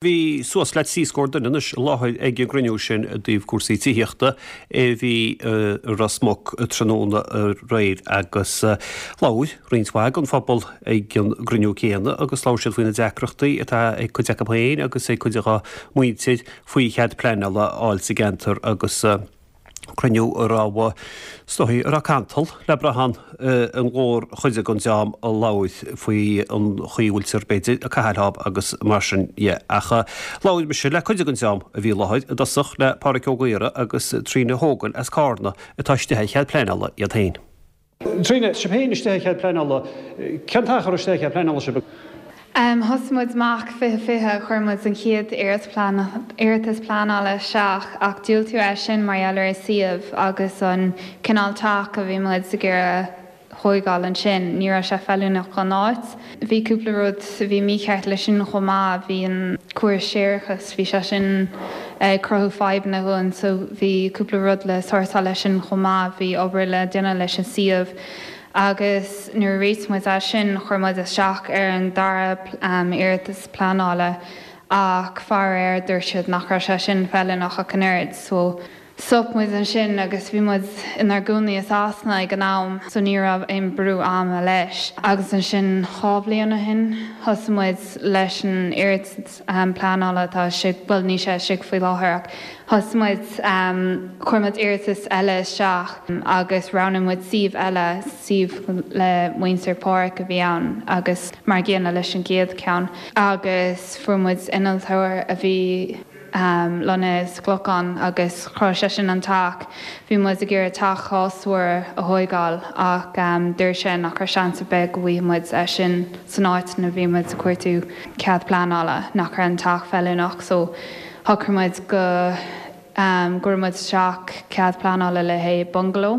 Bhí suas le 3 scór duine anois i láthair ag an gcruinniú sin i dtaobh cúrsaí tithíochta a bhí i Ros Muc tráthnóna aréir agus labhair roinnt mhaith den phobal ag an gcruinniú céanna agus labhair siad faoi na deacrachtaí atá ag cuid acu féin agus ag cuid dá muintir faoi chead pleanála a fháil sa gceantar agus cruinniú a raibh, is dóigh, a raibh cantal le brath ann an mhórchuid den dream a labhair faoi an chaoi a bhfuiltear, b'fhéidir, ag caitheamh leo agus mar sin dhe. Ach labhair mise le cuid den dream a bhí i láthair, i dtosach le Pádhraic Ó Gaora agus Tríona Hogan as Cárna atá istigh ar chead pleanála iad féin. Tríona, sibh féin istigh ar chead pleanála, cén t-achar istigh ar chead pleanála sibh? Thosaigh muid amach 2020, chuir muid an chéad iarratas pleanála isteach ach diúltaíodh é sin mar gheall ar an suíomh agus an cineál teach a bhí muid ag iarraidh thóigeáil ansin, ní raibh sé feiliúnach don áit. Bhí cúpla rud a bhí mícheart leis sin chomh maith, bhí an córas séarachais, bhí sé sin ag cruthú fadhbanna dhúinn so bhí cúpla rud le sórtáil leis sin chomh maith, bhí obair le déanamh leis an suíomh agus nuair a réitigh muid é sin chuir muid isteach ar an dara iarratas pleanála ach faraor dúirt siad nach raibh sé sin feiliúnach ach an oiread so Stop muid ansin agus bhí muid inár gcónaí i Sasana ag an am so ní raibh aon brú ama leis. Agus ansin dhá bhliain ó shin thosaigh muid leis an iarratas pleanála atá istigh, bhuel níl sé istigh faoi láthair ach thosaigh muid, chuir muid iarratas eile isteach agus roghnaigh muid suíomh eile, suíomh le muintir Pháraic a bhí ann agus mar an gcéanna leis an gcéad cheann agus fuair muid innealtóir a bhí. lonnaithe sa Chlocán agus chruthaigh sé sin an teach. Bhí muid ag iarraidh teach dhá stór a thóigeáil ach dúirt sé nach raibh seans ar bith go bhfaighidh muid é sin san áit ina bhí muid ag cuartú cead pleanála, nach raibh an teach feiliúnach so shocraigh muid go gcuirfeadh muid isteach cead pleanála le haghaidh bungaló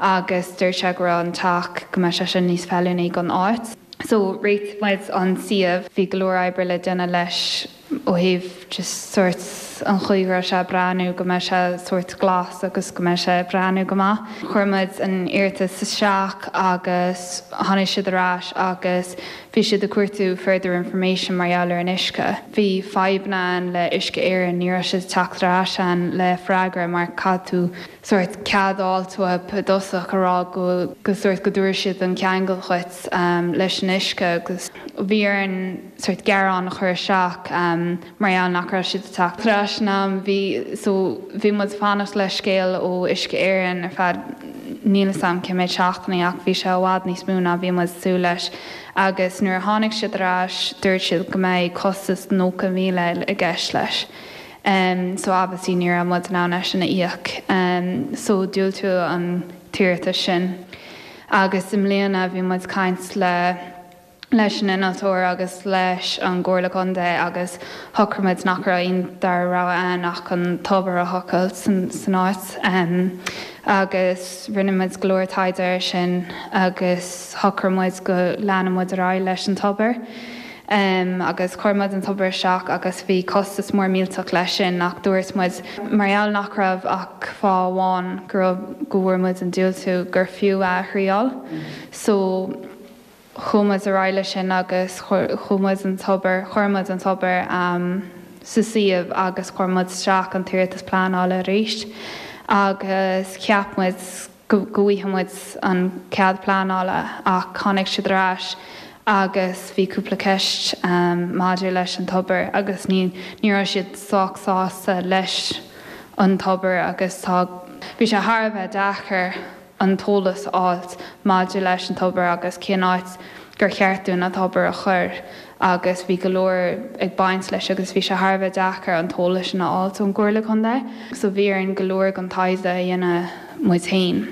agus dúirt sé go raibh an teach, go mbeadh sé sin níos feiliúnaí don áit. So réitigh muid an suíomh, bhí go leor oibre le déanamh leis. ó thaobh just sórt an chaoi go raibh sé ag breathnú, go mbeadh sé sórt glas agus go mbeadh sé ag breathnú go maith. Chuir muid an iarratas isteach agus tháinig siad ar ais agus bhí siad ag cuartú further information mar gheall ar an uisce. Bhí fadhbanna ann le Uisce Éireann, ní raibh siad ag teacht ar ais ann le freagra mar caithfidh tú sórt cead a fháilt uathu i dtosach a rá go go sórt go dtabharfaidh siad an ceangal dhuit leis an uisce agus bhí orainn sórt gearán a chur isteach mar gheall nach raibh siad ag teacht ar ais in am. Bhí so bhí muid ag fanacht le scéal ó Uisce Éireann ar feadh níl 'fhios a'm cé méid seachtainí ach bhí sé i bhfad níos mó ná bhí muid ag súil leis agus nuair a tháinig siad ar ais dúirt siad go mbeidh costas 90,000 i gceist leis. So obviously ní raibh muid in ann é sin a íoc so diúltaíodh an t-iarratas sin agus i mbliana bhí muid ag caint le leis an innealtóir agus leis an gComhairle Contae agus shocraigh muid nach raibh aon dara rogha ann ach an tobar a thochailt san áit agus rinne muid go leor taighde air sin agus shocraigh muid go leanfadh muid ar aghaidh leis an tobar agus chuir muid an tobar isteach agus bhí costas mór millteach leis sin ach dúirt muid mar gheall nach raibh ach fáth amháin go raibh go bhfuair muid an diúltú gur fiú é a thriáil so Chuaigh muid ar aghaidh leis sin agus chuaigh muid an tobar, chuir muid an tobar sa suíomh agus chuir muid isteach an t-iarratas pleanála arís agus cheap muid go bhfaighidh muid an cead pleanála ach tháinig siad ar ais agus bhí cúpla ceist maidir leis an tobar agus ní ní raibh siad sách sásta leis an tobar agus tá bhí sé thar a bheith deacair an t-eolas a fháilt maidir leis an tobar agus cén áit gur cheart dúinn an tobar a chur agus bhí go leor ag baint leis agus bhí sé thar a bheith deacair an t-eolas sin a fháilt ón gComhairle Contae. So bhí orainn go leor den taighde a dhéanamh muid féin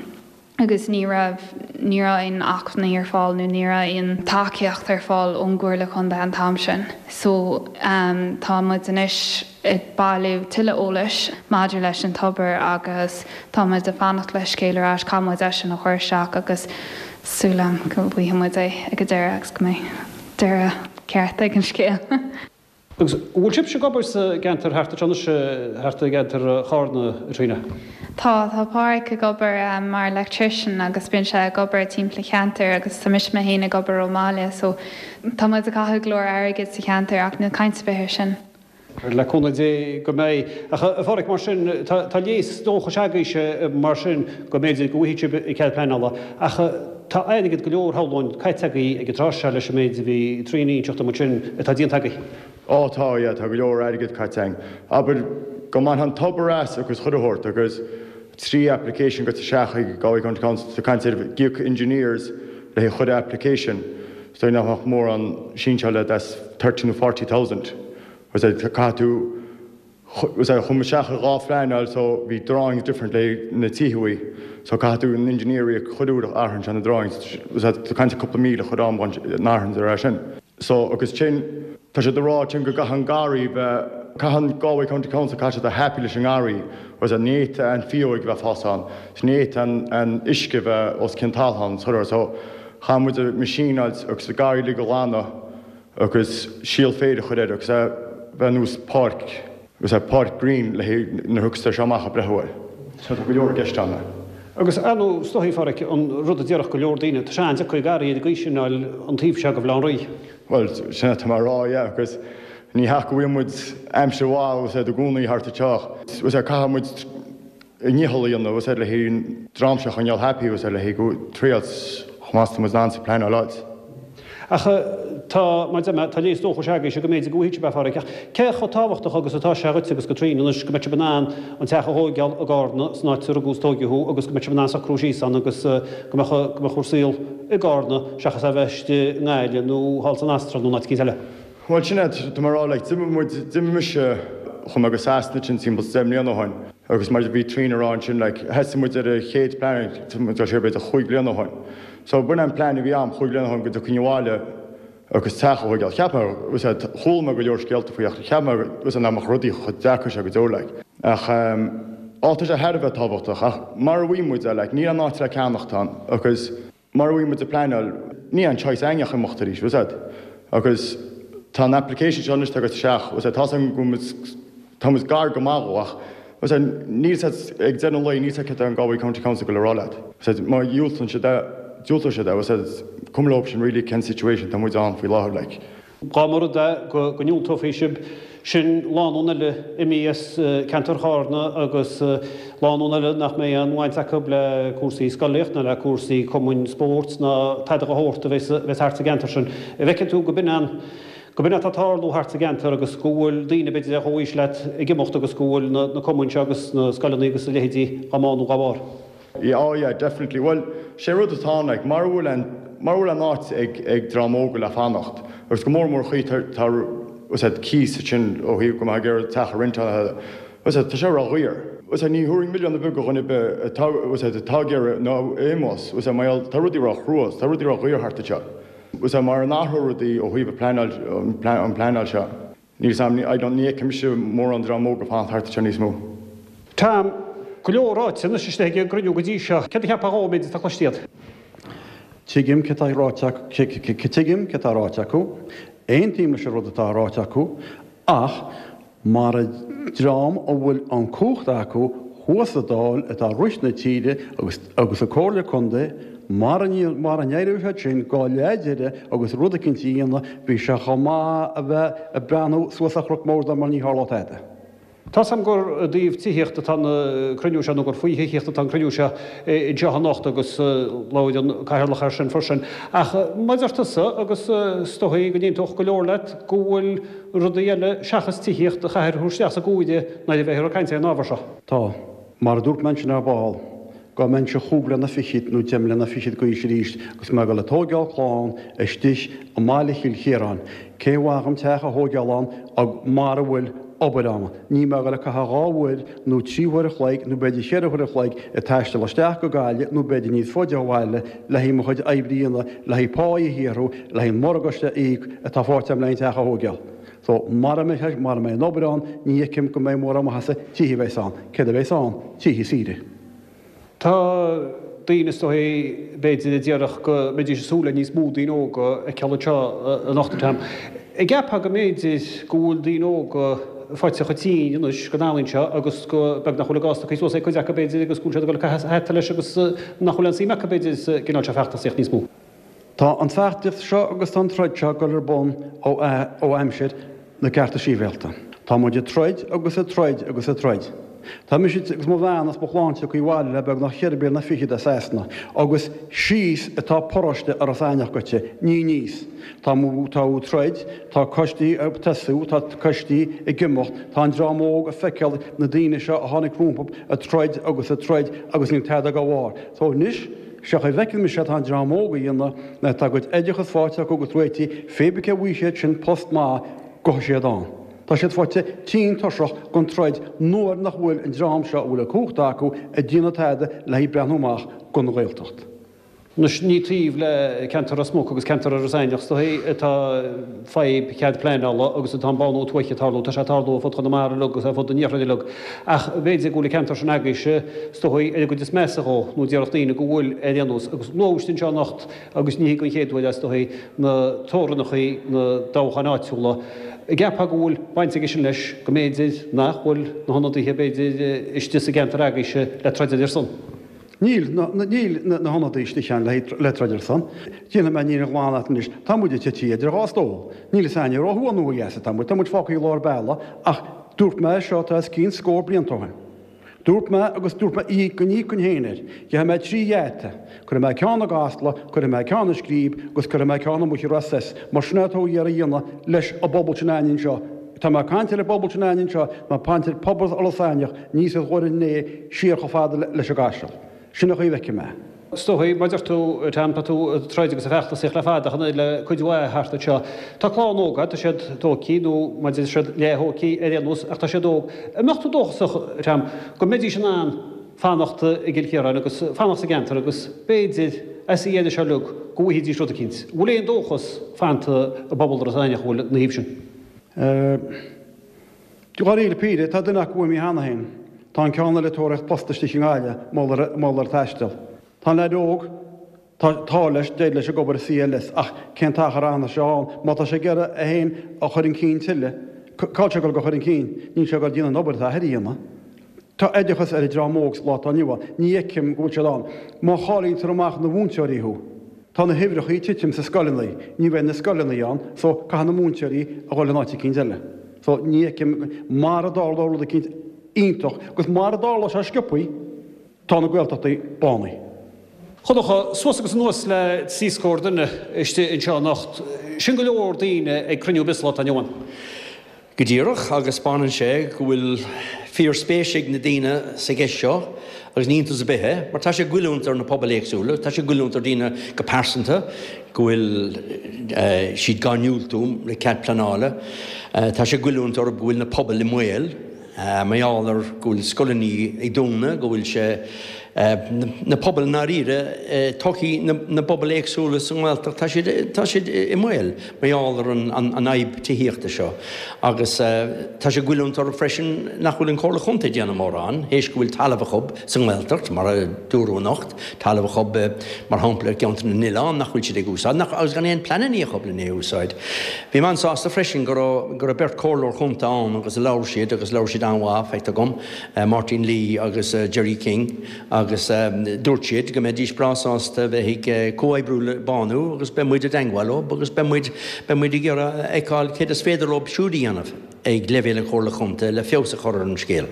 agus ní raibh, ní raibh aon acmhainní ar fáil nó ní raibh aon tacaíocht ar fáil ón gComhairle Contae an t-am sin. So tá muid anois. ag bailiú tuilleadh eolais maidir leis an tobar agus tá muid ag fanacht le scéal ar ais, caithfidh muid é sin a chur isteach agus súil agam go bhfaighidh muid é ag an deireadh agus go mbeidh deireadh ceart ag an scéal. Agus an bhfuil sibhse ag obair sa gceantar thart anseo anois, thart i gceantar Chárna, a Thríona? Tá, tá Páraic ag obair mar electrician agus bíonn sé ag obair timpeall an cheantair agus tá mise mé féin ag obair ón mbaile so tá muid ag caitheamh go leor airgid sa cheantar ach níl caint ar bith air sin. Le cúnamh Dé go mbeidh. Ach a Pháraic, mar sin, tá léas dóchais agaibhse mar sin go mb'fhéidir go bhfaighidh sibh cead pleanála. Ach tá airgead go leor, shamhlóinn, caite agaibh ag an tráth seo leis an méid a bhí Tríona a inseacht dom ansin atá déanta agaibh. Ó tá, yeah, tá go leor airgead caite againn. Abair go mbainfeá an tobar as agus chuile shórt agus 3 application goite isteach ag Galway County Council, tá caint ar íoc engineers le haghaidh chuile application. So nach mbeadh mórán sinseáil that's 30 nó 40,000. Was that caithfidh tú was that chuaigh muid isteach ar dhá phleanáil so bhí drawings different le na tithe uaidh so caithfidh tú an engineer a íoc chuile uair a athraíonn sé na drawings was that tá caint ar cúpla míle chuile am an athraíonn sé sin. So agus sin tá siad ag rá sin go gcaithfidh an garraí bheith caithfidh an Galway County Council caithfidh siad bheith happy leis an ngarraí was that ní fhéadfadh an fhióg bheith fás ann ní fhéadfadh an an uisce bheith os cionn talún ann so so Chaith muid an machine a fháilt agus an garraí uilig a ghlanadh agus síol féir a chur air agus é bheith nós páirc agus é páirc green le haghaidh nuair a thiocfas sé seo amach ag breathnú air. So tá go leor i gceist ann. Agus ar ndóigh is dóichí, a Pháraic, an rud a déarfadh go leor daoine, tá sé an-deacair garraí ar an gcaoi sin a fháil an taobh seo de Bhaile Átha an Rí. Bhuel, sin atá mé a rá, yeah, agus ní hea go bhfuil muid aimsir mhaith, is é, i gcónaí thart anseo, is é, caithfidh muid, a ndícheall a dhéanamh is le haghaidh an dream seo a choinneáil happy is le haghaidh go triail chomh maith is atá muid in ann sa pleanáil áit. Ach tá, mar a deir mé, tá léas dóchais agaibhse go mb'fhéidir go bhfaighidh sibh é, a Pháraic. Ach cé chomh tábhachtach agus atá sé dhuit agus do Tríona anois go mbeidh sibh in ann an teach a thóigeáil i gCarna, san áit a rugadh is tóigeadh thú, agus go mbeidh sibh in ann socrú síos ann agus go mbeadh, go mbeadh bhur saol i gCarna seachas é a bheith istigh i nGaillimh nó thall san Astráil nó in áit eicínt eile? Bhuel, sin é, tá mé a rá, like, d'imigh muid, d'imigh mise, chuaigh mé go Sasana ansin timpeall 10 mbliana ó shin agus mar a bhí Tríona a rá ansin, like, thosaigh muid ar an chéad plean, tá muid ag dul siar b'fhéidir chúig bliana ó shin. So, b'in an plean a bhí a'm chúig bliana ó shin go dtiocfainn abhaile agus teach a thóigeáil. Cheap mé, was it, chuala mé go leor scéalta faoi ach cheap mé, was it, nach mbeadh rudaí chomh deacair seo go deo, like. Ach, ehm, á, tá sé thar a bheith tábhachtach ach mar a bhí muid, like, níl aon áit le ceannacht ann agus, Mar a bhí muid ag pleanáil, ní aon choice againn ach imeacht arís, was it? Agus tá an application seo anois tagtha isteach, was it? Tá's agam go bhfuil muid, tá muid gar go maith dhó ach, was it, níl 's a'd, ag deireadh an lae, níl 's a'd céard tá an Galway County Council ag goil a rá leat. Was it? Má dhiúltaíonn siad é, diúltóidh siad é, was it? Cuma leo sin really cén situation tá muid ann faoi láthair like. Dá mba rud é go ndiúltófaí sibh, sin lánúin eile imithe as ceantar Charna agus lánúin eile nach mbeidh aon bhaint acu le cúrsaí scolaíocht ná le cúrsaí cumainn spóirt ná tada de shórt a bheas thart sa gceantar sin. An bhfeiceann tú go b'in an go b'in atá ag tarlú thart sa gceantar agus go bhfuil daoine b'fhéidir ar chomhaois leat ag imeacht agus go bhfuil na cumainn seo agus na scoileanna agus a leithéidí á mbánú dá bharr? Yeah, oh yeah, definitely. Bhuel, sé rud atá ann, like, mara bhfuil an, mara bhfuil an áit ag, ag dream óga le fanacht, agus go mór mór chaoi tá, tá, was it, cíos ansin ó thaobh go mbeifeá ag iarraidh teach a rentáil, was it, tá sé ró-dhaor. Was it, ní thabharfainn milleán ar bith do dhuine ar bith atá, was it, atá ag iarraidh nó imeos, was it, mar gheall, tá rudaí ró-chrua, tá rudaí ró-dhaor thart anseo. Was it, mara n-athróidh rudaí ó thaobh an pleanáil, an pleanáil seo. Níl 's a'm, I don't, ní fheicim mise mórán dream óg ag fanacht thart anseo níos mó. Tá go leor ráite anois istigh ag an gcruinniú go dtí seo. Céard a cheapfá dhó, an méid atá cloiste agat? Tuigim céard atá ráite acu, tuigim céard atá ráite acu, aontaím leis an rud atá ráite acu, ach mara dream a bhfuil an cumhacht acu thuas sa Dáil atá ag rith na tíre agus agus sa Comhairle Contae, mara mara n-éireoidh siad sin go leath deireadh agus rud eicínt a dhéanamh, bhí sé chomh maith a bheith ag breathnú suas ar chnoc mór mar ní tharlódh tada. Tá's a'm gur i dtaobh tithíochta atá an cruinniú seo nó gur faoi thithíocht atá an cruinniú seo anseo anocht agus labhair an Cathaoirleach air sin freisin. Ach mar a deir tusa, agus is dóigh go n-aontódh go leor leat, go bhfuil rudaí eile seachas tithíocht a chaithfear a thabhairt isteach sa gcomhaireamh nuair a bheifear ag caint ar an ábhar seo. Tá. Mar a dúirt mé ansin ar ball, dá mbeinnse chúig bliana fichead nó deich mbliana fichead d'aois arís agus mé ag dul ag tóigeáil clann istigh i mbaile Chill Chiaráin, cén mhaith dhom teach a thóigeáil ann mara bhfuil obair ann? Níl mé ag dul ag caitheamh dhá uair nó trí huair a chloig nó b'fhéidir cheithre huair a chloig ag taisteal isteach go Gaillimh nó b'fhéidir níos faide ó bhaile le haghaidh mo chuid oibre a dhéanamh, le haghaidh pá a shaothrú, le haghaidh an morgáiste a íoc atá faighte agam le haghaidh an teach a thóigeáil. So, mara mbeidh, mara mbeidh an obair ann, ní fheicim go mbeidh mórán maitheasa tithe a bheas ann. Céard a bheas ann? Tithe saoire. Tá daoine, is dóigh, b'fhéidir, a déarfadh go mbeidís ag súil le níos mó daoine óga a fheiceáil anseo anocht, a Tom. An gceapfá go mb'fhéidir go bhfuil daoine óga faighte chomh tinn anois den ealaín seo agus go beag nach bhfuil a gcás tugtha suas ag cuid acu, b'fhéidir, agus go bhfuil siad ag dul ag caitheamh hata leis agus nach bhfuil aon suim acu, b'fhéidir, sa gcineál seo feachtasaíocht níos mó. Tá an feachtas seo agus tá an troid seo ag dul ar bun ó aimsir na gcearta sibhialta. Tá muid ag troid agus ag troid agus ag troid. Tá mise agus mo bhean is mo chlann tagtha abhaile le beagnach cheithre bliana fichead as Sasana agus síos atá paróiste Iorras Aithneach goite, ní aníos. Tá mu, tá ag troid, tá coistí ag tosú, tá coistí ag imeacht, tá an dream óg ag feiceáil na daoine seo a tháinig rompu ag troid agus ag troid agus níl tada dá bharr. So anois, sé chaoi a bhfeiceann mise atá an dream óg a dhéanamh ná tá a gcuid oideachas faighte acu agus réitithe, pé bith cé bhfaighidh siad sin post maith, gabhfaidh siad ann. Tá siad faighte tinn tuirseach den troid nuair nach bhfuil an dream seo a bhfuil an cumhacht acu ag déanamh tada le haghaidh breathnú amach don Ghaeltacht. Anois ní taobh le ceantar Ros Muc agus ceantar Iorras Aithneach is dóichí atá fadhb chead pleanála agus atá an bánú tuaithe ag tarlú. Tá sé ag tarlú ar fud Chonamara uilig agus ar fud an iarthair uilig. Ach b'fhéidir go bhfuil an ceantar sin agaibhse is dóichí ar an gcuid is measa dhó, nó déarfadh daoine go bhfuil ar aon nós. Agus luadh anseo anocht Agus ní hé don chéad uair é, is dóichí, na teorainneacha na dtoghcháin áitiúla. An gceapfá go bhfuil baint aige sin leis, go mb'fhéidir nach bhfuil na hionadaithe, b'fhéidir, istigh sa gceantar agaibhse le troid ar son? Níl, níl na hionadaithe istigh ann le troid ar son. Déanfaidh mé an fhírinne ghlan leat anois, tá muid tite idir dhá stól. Níl fhios a'inne ó thuaidh nó ó dheas atá muid, tá muid fágtha i lár bealaigh ach dúirt mé é seo tá os cionn scór blianta ó shin. Dúirt mé agus dúirt mé go n-íocfainn féin air. Gheobhaidh mé 3 gheata. Cuirfidh mé ceann i gCasla, cuirfidh mé ceann i Scríb agus cuirfidh mé ceann amuigh i Ros S. Mar sin é atá iarraidh a dhéanamh leis an bpobal sin a'ainn anseo. Tá mé ag caint ar an bpobal sin a'ainn anseo, tá mé ag caint ar phobal Iorras Aithneach, aníos ó Dhoire an Fhéich siar chomh fada leis an gCaiseal. Sin an chaoi a bhfeicim é. Is dóichí, mar a deir tú, Tom, tá tú ag troid agus ag feachtasaíocht le fada ach an oiread le cuid mhaith thart anseo. Tá clann óg agat, tá siad tógtha, nó mar a deir siad leath-thógtha ar aon nós, ach tá siad óg. An mbeadh tú dóchasach, Tom, go mbeidís in ann fanacht i gCill Chiaráin agus fanacht sa gceantar agus b'fhéidir, as an dheireadh seo uilig, go bhfaighidís rud eicínt? An bhfuil aon dóchas fanta i bpobal Iorras Aithneach a bhfuil ina thaobh sin? Dáiríre píre, tá duine acu imithe cheana féin. Tá an ceann eile ag tóraíocht post istigh i nGaillimh, mar gheall ar taisteal. Tá an leaid óg, tá tá leis, d'éirigh leis ag obair i CLS, ach cén t-achar a fhanfaidh sé ann? Má tá sé ag iarraidh é féin a chur chun cinn tuilleadh, cá bhfuil sé ag dul a chur chun cinn? Níl sé ag dul a dhéanamh an obair atá a athair a dhéanamh. Tá oideachas ar an dream óg sa lá atá inniu ann. Ní fheicim go bhfuil siad ann. Má cháilítear amach na mhúinteoirí thú, tá na huimhreacha ag titim sa scoileanna, ní bheidh na scoileanna ann, so caithfidh na múinteoirí a dhul in áit eicínt eile. So ní fheicim, mara dtarlóidh rud eicínt iontach, agus mara dtarlóidh sé sciobthaí, tá na Gaeltachtaí bánaithe. A Dhonncha, suas agus anuas le trí scór duine istigh anseo anocht. Sin go leor daoine ag cruinniú ar bith sa lá atá inniu ann. Go díreach, agus 'spáineann sé go bhfuil fíorspéis ag na daoine sa gceist seo, agus ní iontas ar bith é, mar tá sé ag goilliúint ar na pobail éagsúla, tá sé ag goilliúint ar dhaoine go pearsanta, go bhfuil siad dhá ndiúltú le cead pleanála, tá sé ag goilliúint orthu go bhfuil na pobail i mbaol. Mar gheall ar go bhfuil scoileanna ag dúnadh, go bhfuil sé, na pobail i ndáiríre, todhchaí na bpobal éagsúla sa nGaeltacht, tá siad, tá siad i mbaol mar gheall ar an fhadhb tithíochta seo. Agus tá sé ag goilliúint orthu freisin nach bhfuil an Chomhairle Chontae ag déanamh mórán, théis go bhfuil talamh acu sa nGaeltacht, mar a dúradh anocht, talamh acu mar shampla i gCeantar na nOileán nach bhfuil siad ag úsáid, nach, agus gan aon pleananna acu lena é a úsáid. Bhí mé an-sásta freisin go raibh, go raibh beirt chomhairleoir chontae ann agus labhair siad agus labhair siad an-mhaith, feictear dhom, Máirtín Lee agus Gerry King agus dúirt siad go mbeidís breá sásta bheith ag comhoibriú le Bánú agus beidh muid i dteangmháil leo agus beidh muid, beidh muid ag iarraidh a fheiceáil céard is féidir leo siúd a dhéanamh ag leibhéal an Chomhairle Chontae le feabhas a chur ar an scéal.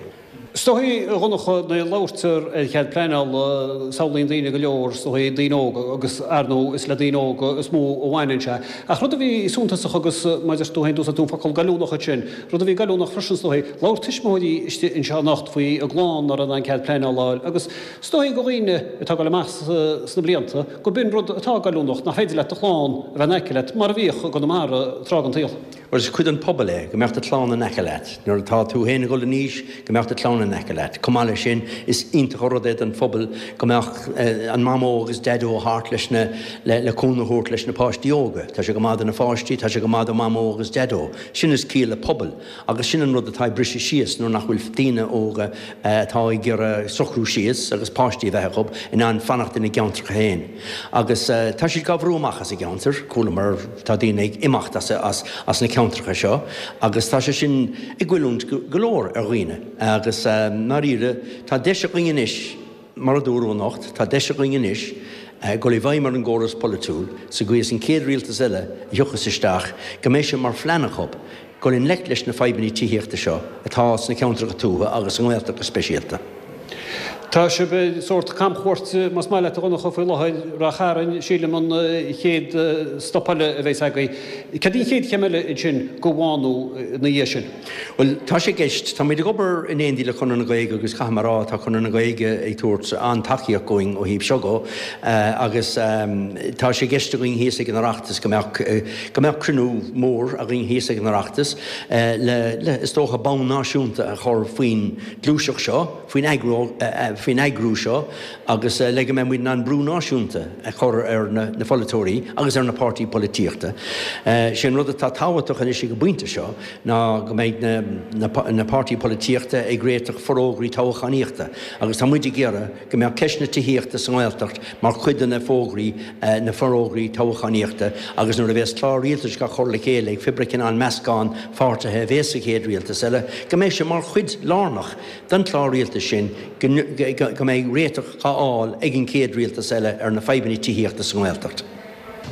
Is dóichí, a Dhonncha, nuair a labhairtear ar chead pleanála, samhlaíonn daoine go leor, is dóichí, daoine óga agus, ar ndóigh, is le daoine óga is mó a bhaineann sé. Ach rud a bhí suntasach agus, mar a deir tú féin, d'úsáid tú an focal goilliúnach ansin, rud a bhí goilliúnach freisin, is dóichí, labhair tuismitheoirí istigh anseo anocht faoi a gclann nach raibh in ann cead pleanála a fháil agus is dóichí do dhaoine atá ag dul amach sna blianta go b'in rud atá goilliúnach, nach féidir leat do chlann a bheith in aice leat mar a bhíodh i gConamara tráth den tsaol. Mar is cuid den phobal é go mbeadh do chlann in aice leat. Nuair atá tú féin ag dul in aois, go mbeadh do chlann in aice leat. Chomh maith leis sin, is iontach an rud é don phobal go mbeadh an Mamó agus Daideo thart leis na, le cúnamh a thabhairt leis na páistí óga. Tá sé go maith do na pháistí, tá sé go maith do Mhamó agus Daideo. Sin is ciall le pobal. Agus sin an rud atá ag briseadh síos nuair nach bhfuil daoine óga atá ag iarraidh socrú síos agus páistí a bheith acu in ann fanacht ina gceantracha féin. Agus tá siad dhá bhrú amach as a gceantair, chualamar, tá daoine ag imeacht as as na ceantracha seo agus tá sé sin ag goilliúint go leor ar dhaoine. Agus i ndáiríre, tá deis againn anois, mar a dúradh anocht, tá deis againn anois dul i bhfeidhm ar an gcóras polaitiúil sa gcaoi is an chéad rialtas eile a thiocfas isteach go mbeidh sé mar phlean acu. dul i ngleic leis na fadhbanna tithíochta seo atá sna ceantracha tuaithe agus sa nGaeltacht go speisialta. Tá sibh ar sórt camchuairte, más maith leat, a Dhonncha, faoi láthair. Ráth Chairn, sílim, an chéad stop eile a bheas agaibh. Cad í an chéad chéim eile ansin go bhánú ina dhiaidh sin? Bhuel, tá sé i gceist. Tá muid ag obair in éindí le Conradh na Gaeilge agus caithfidh mé a rá, tá Conradh na Gaeilge ag tabhairt an-tacaíocht dhúinn ó thaobh seo dhó agus tá sé i gceist againn thíos ag an Oireachtas go mbeadh, go mbeadh cruinniú mór againn thíos ag an Oireachtas le, le, is dócha, bonn náisiúnta a chur faoin gluaiseacht seo. faoin faoin eagrú seo agus le go mbeidh muid in ann brú náisiúnta a chur ar na pholaiteoirí agus ar na páirtí polaitíochta. Sé an rud atá tábhachtach anois ag an bpointe seo ná go mbeidh na páirtí polaitíochta ag réiteach forógraí toghchánaíochta agus tá muid ag iarraidh go mbeadh ceist na tithíochta sa nGaeltacht mar chuid de na fógraí na forógraí toghchánaíochta agus nuair a bhéas clár rialtais á chur le chéile ag pé cineál meascán pháirtithe a bhéas sa chéad rialtas eile go mbeidh sé mar chuid lárnach den chlár rialtais sin go mbeidh réiteach á fháil ag an chéad rialtas eile ar na fadhbanna tithíochta sa nGaeltacht.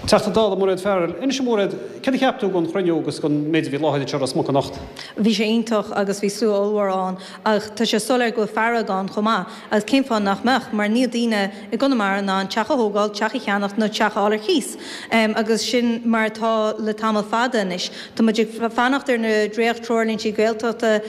Teachta Dála Mairéad Farrell, Inis a Mhairéad, céard a cheap tú den chruinniú agus den méid a bhí i láthair anseo i Ros Muc anocht? Bhí sé iontach agus bhí slua ollmhór ann ach tá sé soiléir go bhfuil fearg ann chomh maith agus cén fáth nach mbeadh mar níl daoine i gConamara in ann teach a thógáil, teach a cheannacht nó teach a fháil ar cíos agus sin mar atá le tamall fada anois. Tá muid ag fanacht ar na dréacht-treoirlíntí Gaeltachta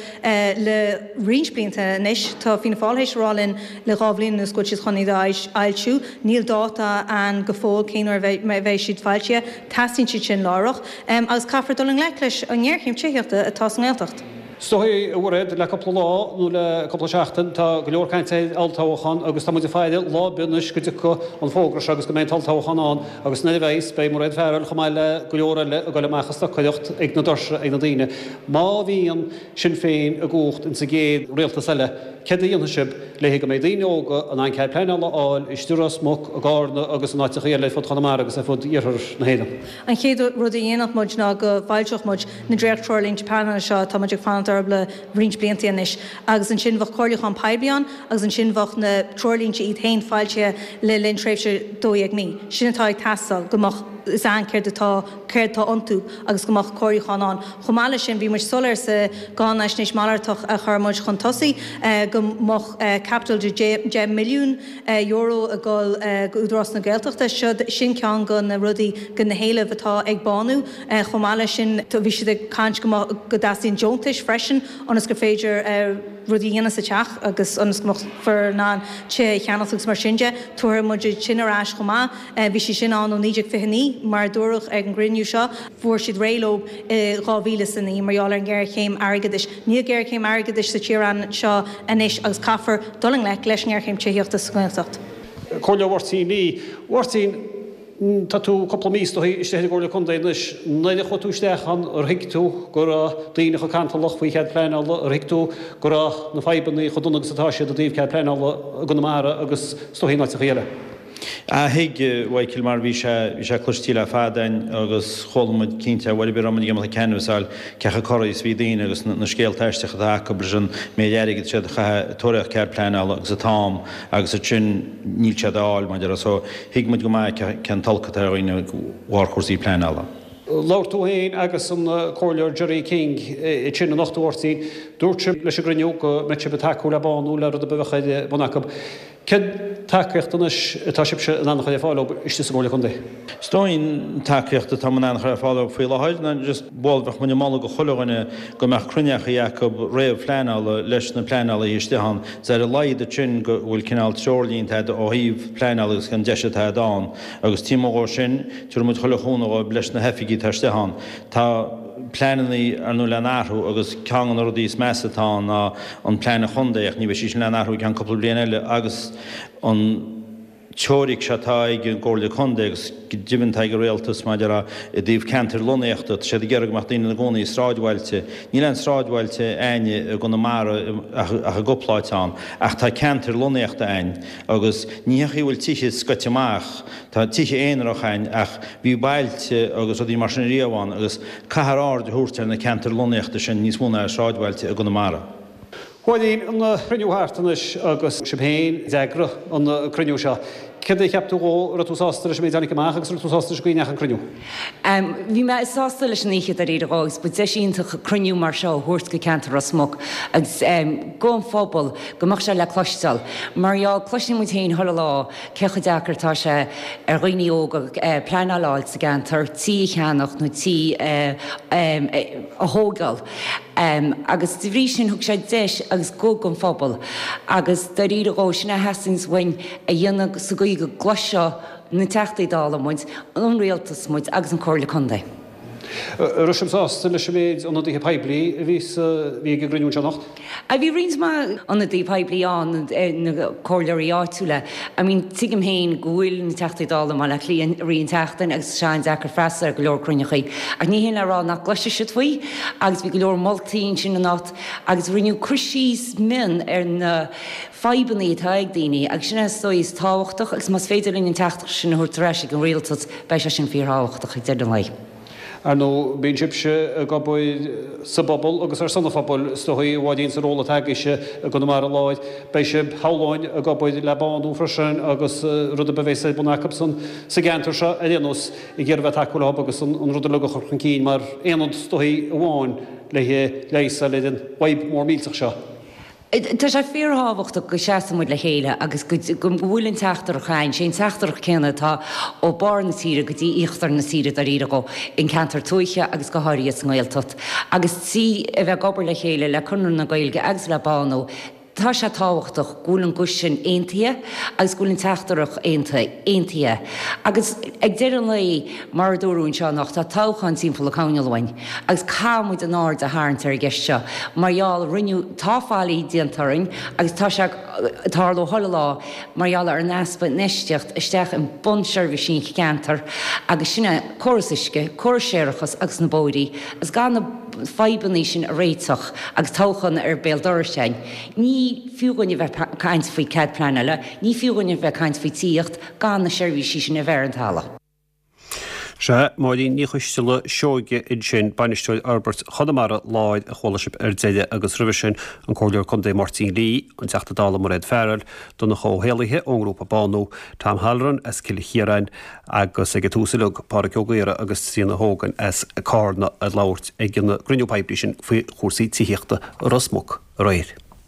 Le roinnt blianta anois, tá Fianna Fáil théis a rá linn le 2 bhliain anuas go bhfuil siad chun iad a fhoilsiú. Níl dáta ann go fóill cén uair a bheidh siad foilsithe. Teastaíonn siad sin láithreach. Agus caithfear dul i ngleic leis an ngéarchéim tithíochta atá sa nGaeltacht. Is dóigh, a Mhairéad, le cúpla lá nó le cúpla seachtain, tá go leor cainte ar olltoghchán agus tá muid ag faire lá ar bith anois go dtiocfaidh an fógra seo agus go mbeidh an t-olltoghchán ann agus nuair a bheidh, beidh Mairéad Farrell chomh maith le go leor eile ag dul amach ag stocaireacht ag na doirse ag na daoine. Má bhíonn Sinn Féin i gcumhacht ins an gcéad rialtas eile, céard a dhéanfaidh sibh le go mbeidh daoine óga in ann cead pleanála a fháil istigh i Ros Muc, i gCarna agus in áiteachaí eile ar fud Chonamara agus ar fud iarthar na hÉireann? An chéad rud a dhéanfadh muid ná go bhfoilseodh muid na dréacht-treoirlínte pleanála seo atá muid ag fanacht orthu le roinnt blianta anois agus ansin bheadh comhairliúchán poiblí ann agus ansin bheadh na treoirlínte iad féin foilsithe le linn tréimhse 12 mí. Sin atá ag teastáil, go mbeadh fhios a'inn céard atá céard atá iontu agus go mbeadh comhairliúchán ann. Chomh maith leis sin, bhí muid soiléir sa gcáinaisnéis malartach a chuir muid chun tosaigh go mbeadh caipiteal de €10 milliún ag dul go Údarás na Gaeltachta. Sin ceann de na rudaí, de na héilimh atá ag Bánú. Chomh maith leis sin, bhí siad ag caint go mbeadh, go dteastaíonn deontais freisin ionas gur féidir rudaí a dhéanamh sa teach agus ionas go mbeifear in ann tithe a cheannacht agus mar sin de. Tabharfaidh muid iad sin ar ais chomh maith. Bhí siad sin ann ó 1929, mar a dúradh ag an gcruinniú seo. Fuair siad réidh leo i 2009 mar gheall ar an ngéarchéim airgeadais. Níl géarchéim airgeadais sa tír anseo anois agus caithfear dul i ngleic leis an ngéarchéim tithíochta sa nGaeltacht. Comhairleoir Mháirtín Lee. Mháirtín, tá tú cúpla mí is dóigh istigh ar an gComhairle Contae anois. Nuair a chuaigh tú isteach ann, ar thuig tú go raibh daoine chomh cantalach faoi chead pleanála, ar thuig tú go raibh na fadhbanna chomh dona agus atá siad i dtaobh cead pleanála i gConamara agus is dóigh in áiteachaí eile? Ah thuig, a Mhichael, mar bhí sé, bhí sé cloistí le fada a'inn agus chuala muid cinnte, bhuel a raibh muid ag imeacht ag canvass fháil cé chomh corraithe is a bhí daoine agus na scéalta aisteacha atá acu leis an méid airgid siad a chaitheamh ag tóraíocht cead pleanála agus an t-am agus ansin níl siad á fháil mar a déarfá so thuig muid go maith cén t-olc atá ar dhaoine de bharr chúrsaí pleanála. Labhair tú féin agus an Comhairleoir Gerry King ansin anocht a Mháirtín. Dúirt sibh leis an gcruinniú go mbeadh sibh ag tacú le Bánú le rud ar bith a bheadh ar bun acu. Cén tacaíocht anois atá sibhse in ann a chur ar fáil dóibh istigh sa gComhairle Contae? Is dóigh an tacaíocht atá in ann a chur ar fáil dóibh faoi láthair ná just bhuel bheadh muid ag moladh go chuile dhuine go mbeadh cruinneachaí acu réamh-phleanála leis na pleanálaithe istigh ann is ar a laghad ansin go bhfuil cineál treoirlínte a'd ó thaobh pleanála agus cén deis atá a'd ann agus taobh amuigh dhó sin tabharfaidh muid chuile chúnamh dhóibh leis na hoifigí atá istigh ann. Tá pleanannaí ar ndóigh le n-athrú agus ceann de na rudaí is measa atá ann ná an plean an chontae ach ní bheidh sí sin le n-athrú i gceann cúpla bliain eile agus an teoiric seo atá ag an gComhairle Contae agus go deimhin atá ag an Rialtas maidir le i dtaobh ceantair lonnaíochta, tá siad ag iarraidh go mbeadh daoine ina gcónaí i sráidbhailte. Níl aon sráidbhailte a'ainne i gConamara ach i gcúpla áit ann ach tá ceantair lonnaíochta a'ainn agus ní hé go bhfuil tithe scoite amach, tá tithe aonarach a'ainn ach Bhí bailte agus rudaí mar sin riamh ann agus caithfear aird a thabhairt ar na ceantair lonnaíochta sin níos mó ná ar shráidbhailte i gConamara. Mháirín, an cruinniú thart anois agus sibh féin a d'eagraigh an cruinniú seo. Céard a cheap tú dhó? Raibh tú sásta leis an méid a tháinig amach agus raibh tú sásta leis an gcaoi a ndeachaigh an cruinniú? Bhí mé sásta leis an oíche dáiríre dhó agus ba deis iontach cruinniú mar seo a thabhairt go ceantar Ros Muc agus gon phobal go mbeadh sé le cloisteáil. Mar gheall, cloiseann muid féin chuile lá cé chomh deacair atá sé ar dhaoine óga pleanáil a fháil sa gceantar, tí a cheannach nó tí a thógáil. Agus de bhrí sin thug sé deis agus guth gon phobal agus dáiríre dhó sin a theastaíonns uainn a dhéanamh sa gcaoi go gcloisfeadh na Teachtaí Dála muid, an Rialtas muid agus an Comhairle Contae. An raibh sibh sásta leis an méid ionadaithe poiblí a bhí sa, bhí ag an gcruinniú anseo anocht? Bhí roinnt mhaith ionadaí poiblí ann, na comhairleoirí áitiúla. I mean, tuigim féin go bhfuil na Teachtaí Dála i mBaile Átha Cliath i rith an tseachtain agus tá sé an-deacair freastal ar go leor cruinneachaí. Ach ní hin le rá nach gcloisfidh siad faoi agus bhí go leor moltaí ansin anocht agus rinneadh cur síos mion ar na fadhbanna atá ag daoine agus sin é is dóigh is tábhachtach agus más féidir linn an teachtaireacht sin a thabhairt ar ais ag an rialtas beidh sé sin fíorthábhachtach ag deireadh an lae. Ar ndóigh, bíonn sibhse ag obair sa bpobal agus ar son an phobail, is dóigh, a Mháirín, sa ról atá agaibhse i gConamara Láir. Beidh sibh, shamhlóinn, ag obair le Bánú freisin agus rud ar bith a bheas ar bun acubsan sa gceantar seo ar aon nós, ag iarraidh bheith ag tacú leo agus an rud uilig a chur chun cinn mar aonad, is dóigh, amháin le leigheas a fháil ar an bhfadhb mhór millteach seo. Tá sé fíorthábhachtach go seasann muid le chéile agus go bhfuil an teachtaireacht againn, sé an teachtaireacht céanna atá ó barr na tíre go dtí íochtar na tíre dáiríre dhó, in ceantar tuaithe agus go háirithe sa nGaeltacht. Agus trí a bheith ag obair le chéile le Conradh na Gaeilge agus le Bánú, tá sé tábhachtach go bhfuil an guth sin aontaithe agus go bhfuil an teachtaireacht aontaithe. Agus ag deireadh an lae, mar a dúradh anseo anocht, tá toghchán timpeall an choirnéil uainn. Agus caithfidh muid an aird a tharraingt ar an gceist seo mar gheall, rinneadh, tá faillí déanta orainn agus tá sé ag tarlú chuile lá mar gheall ar an easpa infheistíocht isteach i bunseirbhísí an cheantair agus sin é córas uisce, córas séarachas agus na bóithrí agus gan na fadhbanna sin a réiteach agus toghchán ar béal dorais againn ní fiú dhúinn a bheith ag caint faoi cead pleanála, ní fiú dhúinn a bheith ag caint faoi tithíocht gan na seirbhísí sin a bheith ar an talamh. Sea, Máirín Ní Choisteala Seoige ansin, Bainisteoir Fhorbairt Chonamara Láir a chuala sibh ar deireadh agus roimhe sin an Comhairleoir Contae Máirtín Lee, an Teachta Dála Mairéad Farrell, Donncha Ó hÉallaithe ón ngrúpa Bánú, Tom Halloran as Cill Chiaráin agus ag an tús uilig Pádhraic Ó Gaora agus Tríona Hogan as Carna ag labhairt ag an gcruinniú poiblí sin faoi chúrsaí tithíochta i Ros Muc aréir.